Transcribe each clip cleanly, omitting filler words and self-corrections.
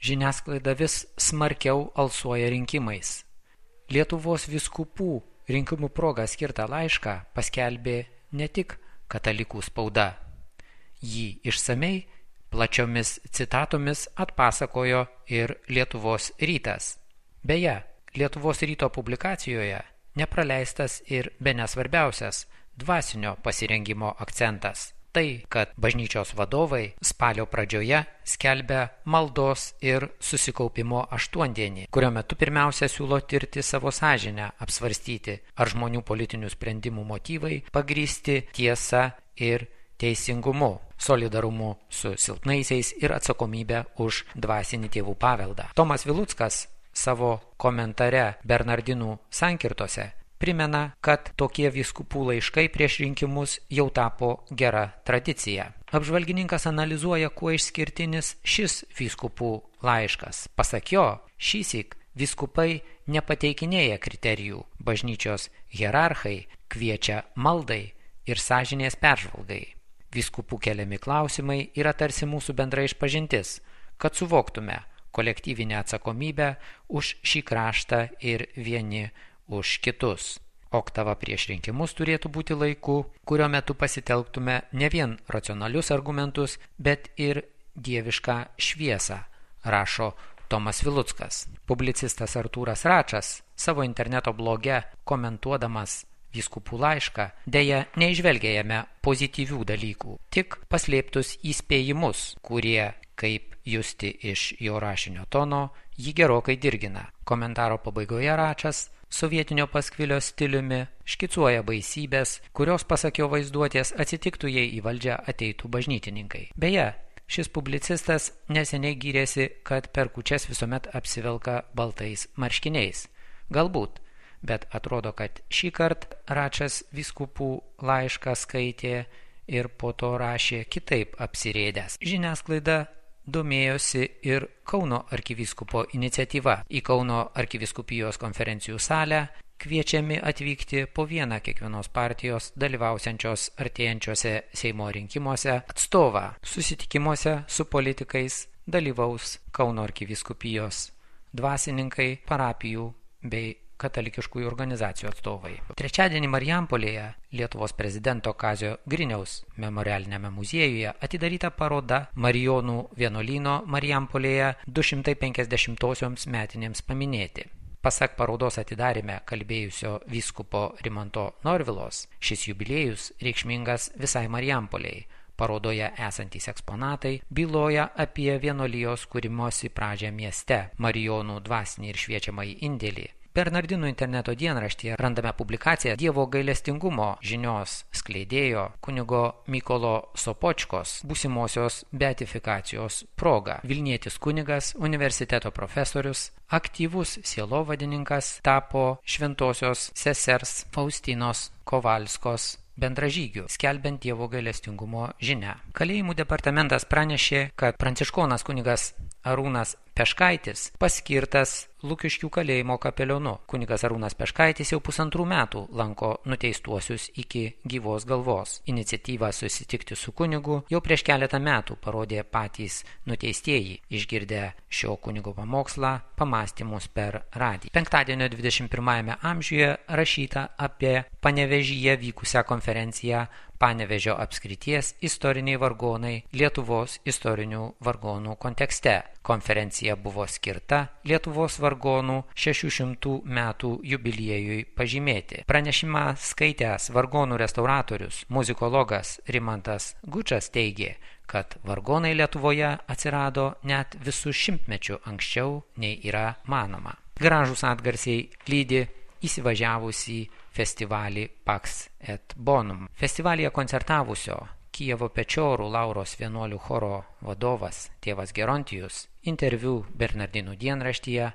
žiniasklaida vis smarkiau alsuoja rinkimais. Lietuvos vyskupų rinkimų proga skirtą laišką paskelbė ne tik katalikų spauda. Jį išsamei plačiomis citatomis atpasakojo ir Lietuvos rytas. Beje, Lietuvos ryto publikacijoje nepraleistas ir bene svarbiausias dvasinio pasirengimo akcentas. Tai, kad bažnyčios vadovai spalio pradžioje skelbia maldos ir susikaupimo aštuondienį, kurio metu pirmiausia siūlo tirti savo sąžinę, apsvarstyti, ar žmonių politinių sprendimų motyvai pagrįsti tiesa ir teisingumu, solidarumu su silpnaisiais ir atsakomybę už dvasinį tėvų paveldą. Tomas Viluckas savo komentare Bernardinų sankirtose primena, kad tokie vyskupų laiškai prieš rinkimus jau tapo gera tradicija. Apžvalgininkas analizuoja, kuo išskirtinis šis vyskupų laiškas. Pasak jo, šįsyk vyskupai nepateikinėja kriterijų, bažnyčios hierarchai kviečia maldai ir sąžinės peržvalgai. Vyskupų keliami klausimai yra tarsi mūsų bendra išpažintis, kad suvoktume kolektyvinę atsakomybę už šį kraštą ir vieni už kitus. Oktava prieš rinkimus turėtų būti laiku, kurio metu pasitelktume ne vien racionalius argumentus, bet ir dievišką šviesą, rašo Tomas Viluckas. Publicistas Artūras Račas savo interneto bloge komentuodamas vyskupų laišką deja neižvelgia jame pozityvių dalykų, tik paslėptus įspėjimus, kurie, kaip justi iš jo rašinio tono, jį gerokai dirgina. Komentaro pabaigoje Račas sovietinio paskvilio stiliumi škicuoja baisybės, kurios pasak jo vaizduotės atsitiktų, jei į valdžią ateitų bažnytininkai. Beje, šis publicistas neseniai gyrėsi, kad per kūčias visuomet apsivelka baltais marškiniais. Galbūt, bet atrodo, kad šį kartą Račas vyskupų laišką skaitė ir po to rašė kitaip apsirėdęs. Žiniasklaida domėjosi ir Kauno arkivyskupo iniciatyva. Į Kauno arkivyskupijos konferencijų salę kviečiami atvykti po vieną kiekvienos partijos dalyvausiančios artėjančiuose Seimo rinkimuose atstovą. Susitikimuose su politikais dalyvaus Kauno arkivyskupijos dvasininkai, parapijų bei katalikiškųjų organizacijų atstovai. Trečiadienį Marijampolėje Lietuvos prezidento Kazio Griniaus memorialinėme muziejuje atidaryta paroda Marijonų vienuolyno Marijampolėje 250-osioms metinėms paminėti. Pasak parodos atidaryme kalbėjusio vyskupo Rimanto Norvilos, šis jubiliejus reikšmingas visai Marijampolėjai. Parodoje esantys eksponatai byloja apie vienuolijos kūrimosi pradžią mieste, Marijonų dvasinį ir šviečiamąjį indėlį. Bernardinų interneto dienraštyje randame publikaciją Dievo gailestingumo žinios skleidėjo kunigo Mykolo Sopočkos būsimosios beatifikacijos proga. Vilnietis kunigas, universiteto profesorius, aktyvus sielovadininkas tapo šventosios sesers Faustinos Kovalskos bendražygių, skelbiant Dievo gailestingumo žinią. Kalėjimų departamentas pranešė, kad pranciškonas kunigas Arūnas Peškaitis paskirtas Lukiškių kalėjimo kapelionu. Kunigas Arūnas Peškaitis jau 1,5 metų lanko nuteistuosius iki gyvos galvos. Iniciatyvą susitikti su kunigu jau prieš keletą metų parodė patys nuteistieji, išgirdę šio kunigo pamokslą, pamąstymus per radiją. Penktadienio 21 amžiuje rašyta apie Panevėžyje vykusią konferenciją Panevėžio apskrities istoriniai vargonai Lietuvos istorinių vargonų kontekste. Konferencija buvo skirta Lietuvos vargonų 600 metų jubiliejui pažymėti. Pranešimą skaitęs vargonų restauratorius, muzikologas Rimantas Gučas teigė, kad vargonai Lietuvoje atsirado net visų šimtmečių anksčiau nei yra manoma. Gražūs atgarsiai lydi įsivažiavusį festivalį Pax et Bonum. Festivalyje koncertavusio Kijevo Pečiorų Lauros vienuolių choro vadovas tėvas Gerontijus interviu Bernardinų dienraštyje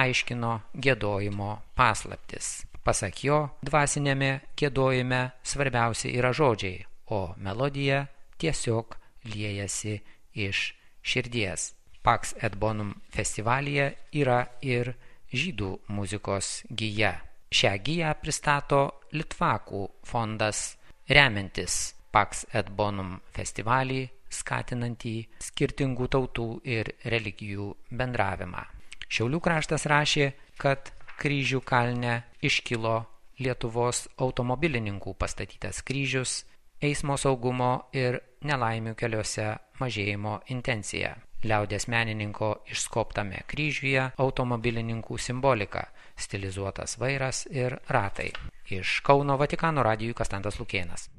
aiškino giedojimo paslaptis. Pasak jo, dvasinėme giedojime svarbiausia yra žodžiai, o melodija tiesiog liejasi iš širdies. Pax et Bonum festivalyje yra ir žydų muzikos gija. Šią giją pristato Litvakų fondas remiantis Pax et Bonum festivalį skatinantį skirtingų tautų ir religijų bendravimą. Šiaulių kraštas rašė, kad Kryžių kalne iškilo Lietuvos automobilininkų pastatytas kryžius, eismo saugumo ir nelaimių keliuose mažėjimo intencija. Liaudies menininko išskobtame kryžiuje automobilininkų simbolika, stilizuotas vairas ir ratai. Iš Kauno Vatikano radijui Kastantas Lukėnas.